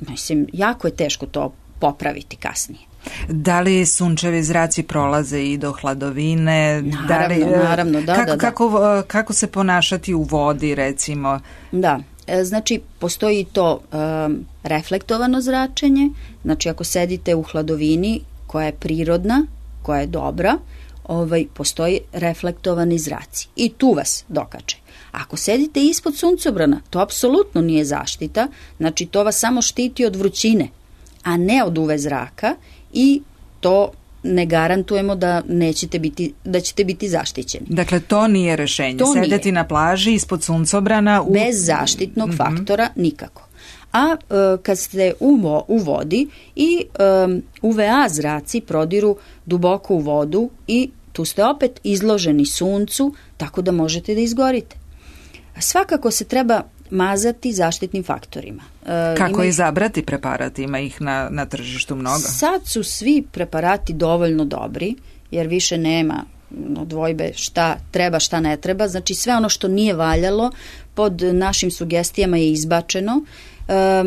mislim, jako je teško to popraviti kasnije. Da li sunčevi zraci prolaze i do hladovine? Naravno, da. Kako se ponašati u vodi, recimo? Da. Znači, postoji to reflektovano zračenje, znači ako sedite u hladovini koja je prirodna, koja je dobra, postoji reflektovani zraci i tu vas dokače. Ako sedite ispod suncobrana, to apsolutno nije zaštita, znači to vas samo štiti od vrućine, a ne od UV zraka i to ne garantujemo da ćete biti zaštićeni. Dakle, to nije rešenje. Sedeti na plaži ispod suncobrana bez zaštitnog faktora nikako. A kad ste u vodi i UVA zraci prodiru duboko u vodu i tu ste opet izloženi suncu, tako da možete da izgorite. Svakako se treba mazati zaštitnim faktorima. Kako izabrati preparat? Ima ih na tržištu mnogo. Sad su svi preparati dovoljno dobri, jer više nema dvojbe šta treba, šta ne treba. Znači sve ono što nije valjalo pod našim sugestijama je izbačeno.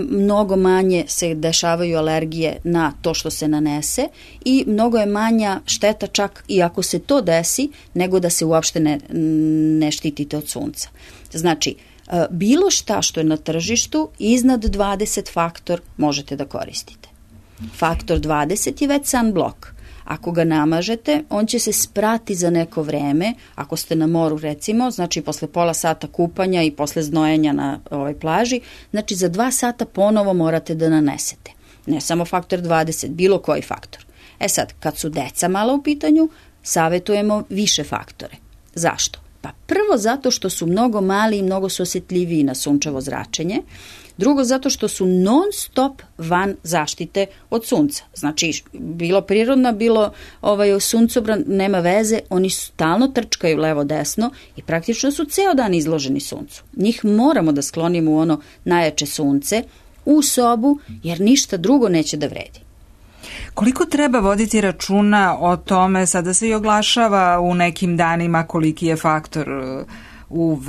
Mnogo manje se dešavaju alergije na to što se nanese i mnogo je manja šteta čak i ako se to desi, nego da se uopšte ne štitite od sunca. Znači, bilo šta što je na tržištu iznad 20 faktor možete da koristite. Faktor 20 je već sunblock. Ako ga namažete, on će se sprati za neko vreme, ako ste na moru recimo, znači posle pola sata kupanja i posle znojenja na ovoj plaži, znači za 2 sata ponovo morate da nanesete. Ne samo faktor 20, bilo koji faktor. Sad, kad su deca malo u pitanju, savetujemo više faktore. Zašto? Pa prvo zato što su mnogo mali i mnogo su osjetljiviji na sunčevo zračenje. Drugo, zato što su non stop van zaštite od sunca. Znači, bilo prirodna, bilo suncobran, nema veze, oni stalno trčkaju levo-desno i praktično su ceo dan izloženi suncu. Njih moramo da sklonimo u ono najjače sunce, u sobu, jer ništa drugo neće da vredi. Koliko treba voditi računa o tome, sada se i oglašava u nekim danima koliki je faktor UV,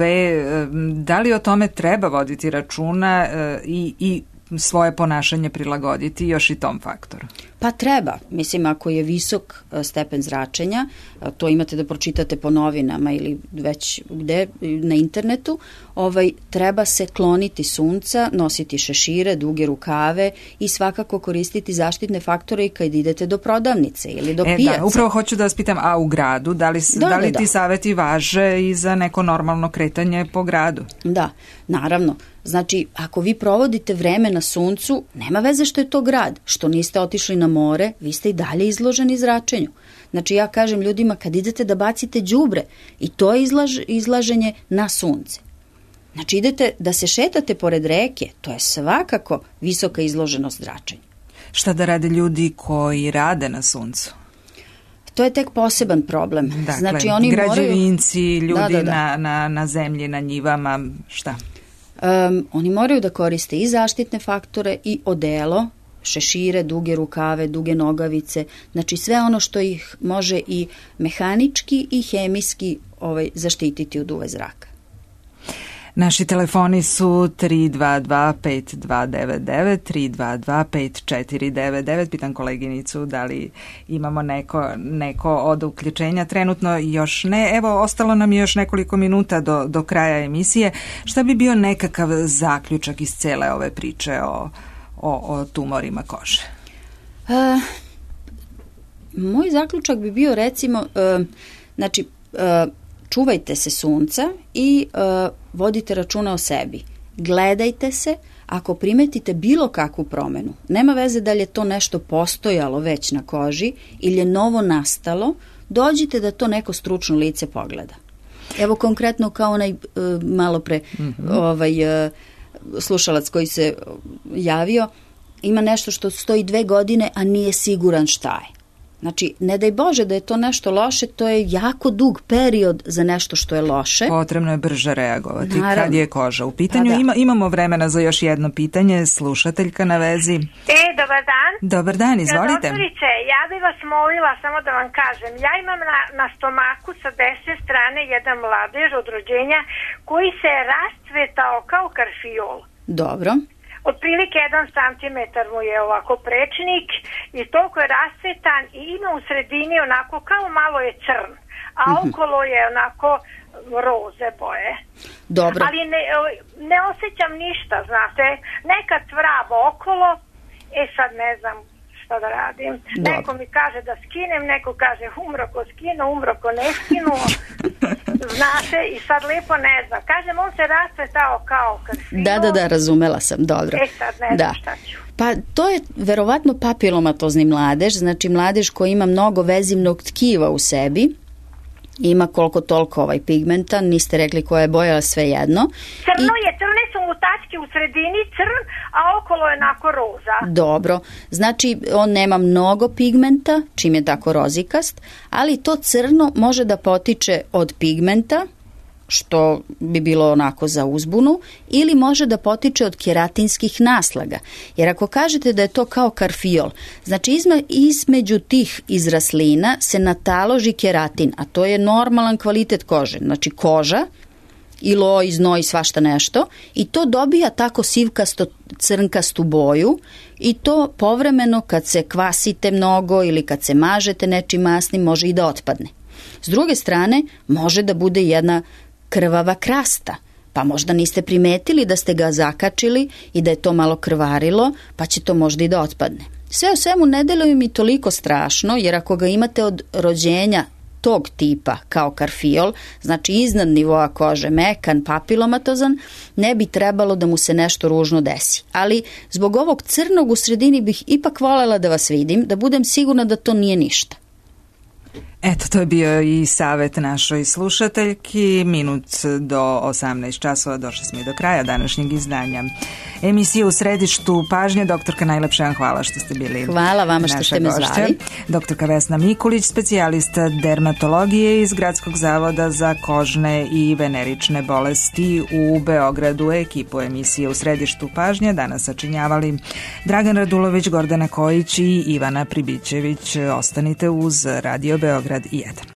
da li o tome treba voditi računa i svoje ponašanje prilagoditi još i tom faktoru? Pa treba. Mislim, ako je visok stepen zračenja, to imate da pročitate po novinama ili već gde na internetu, treba se kloniti sunca, nositi šešire, duge rukave i svakako koristiti zaštitne faktore i kad idete do prodavnice ili do pijace. Da, upravo hoću da vas pitam, a u gradu, da li ti saveti važe i za neko normalno kretanje po gradu? Da, naravno. Znači, ako vi provodite vreme na suncu, nema veze što je to grad, što niste otišli na more, vi ste i dalje izloženi zračenju. Znači, ja kažem ljudima, kad idete da bacite đubre, i to je izlaženje na sunce. Znači, idete da se šetate pored reke, to je svakako visoka izloženost zračenju. Šta da rade ljudi koji rade na suncu? To je tek poseban problem. Dakle, znači, oni građevinci, ljudi na zemlji, na njivama, šta? Oni moraju da koriste i zaštitne faktore i odelo, šešire, duge rukave, duge nogavice, znači sve ono što ih može i mehanički i hemijski zaštititi od UV zraka. Naši telefoni su 322-5299, 322-5499. Pitam koleginicu da li imamo neko od uključenja. Trenutno još ne. Evo, ostalo nam je još nekoliko minuta do kraja emisije. Šta bi bio nekakav zaključak iz cele ove priče o tumorima kože? Moj zaključak bi bio recimo, čuvajte se sunca i vodite računa o sebi. Gledajte se, ako primetite bilo kakvu promenu. Nema veze da li je to nešto postojalo već na koži ili je novo nastalo, dođite da to neko stručno lice pogleda. Evo konkretno kao onaj malo pre slušalac koji se javio, ima nešto što stoji 2 godine, a nije siguran šta je. Znači, ne daj Bože da je to nešto loše, to je jako dug period za nešto što je loše. Potrebno je brže reagovati. Naravno. Kad je koža u pitanju. Imamo vremena za još jedno pitanje. Slušateljka na vezi. Dobar dan. Dobar dan, izvolite. Doktorice, ja bih vas molila samo da vam kažem. Ja imam na stomaku sa desne strane jedan mladež od rođenja koji se je rascvetao kao karfiol. Dobro. Otprilike 1 centimetar mu je ovako prečnik i toliko je rascetan i ima u sredini onako kao malo je crn, a okolo je onako roze boje. Dobro. Ali ne osjećam ništa, znate. Neka cvraba okolo, sad ne znam šta da radim. Dobro. Neko mi kaže da skinem, neko kaže umro ko skinu, umro ko ne skinu. Znate, i sad lepo ne znam. Kažem, on se rascvetao kao karfiol. Da, razumela sam, dobro. Sad ne znam šta ću. Pa to je verovatno papilomatozni mladež, znači mladež koji ima mnogo vezivnog tkiva u sebi, ima koliko toliko pigmenta, niste rekli koja je boja, ali sve jedno. Crne su mu tačke u sredini, crn, a okolo je onako roza. Dobro, znači on nema mnogo pigmenta, čim je tako rozikast, ali to crno može da potiče od pigmenta, što bi bilo onako za uzbunu, ili može da potiče od keratinskih naslaga. Jer ako kažete da je to kao karfiol, znači između tih izraslina se nataloži keratin, a to je normalan kvalitet kože. Znači koža, ilo, znoj, svašta nešto, i to dobija tako sivkasto crnkastu boju, i to povremeno kad se kvasite mnogo ili kad se mažete nečim masnim može i da otpadne. S druge strane, može da bude jedna krvava krasta, pa možda niste primetili da ste ga zakačili i da je to malo krvarilo, pa će to možda i da otpadne. Sve u svemu ne deluje mi toliko strašno, jer ako ga imate od rođenja tog tipa kao karfiol, znači iznad nivoa kože, mekan, papilomatozan, ne bi trebalo da mu se nešto ružno desi. Ali zbog ovog crnog u sredini bih ipak voljela da vas vidim, da budem sigurna da to nije ništa. Eto, to je bio i savjet našoj slušateljki. Minut do 18 časova došli smo i do kraja današnjeg izdanja emisije U središtu pažnje. Doktorka, najlepše vam hvala što ste bili. Hvala vama što ste me zvali. Doktorka Vesna Mikulić, specijalista dermatologije iz Gradskog zavoda za kožne i venerične bolesti u Beogradu. Ekipu emisije U središtu pažnje danas sačinjavali Dragan Radulović, Gordana Kojić i Ivana Pribićević. Ostanite uz Radio Beograd 1.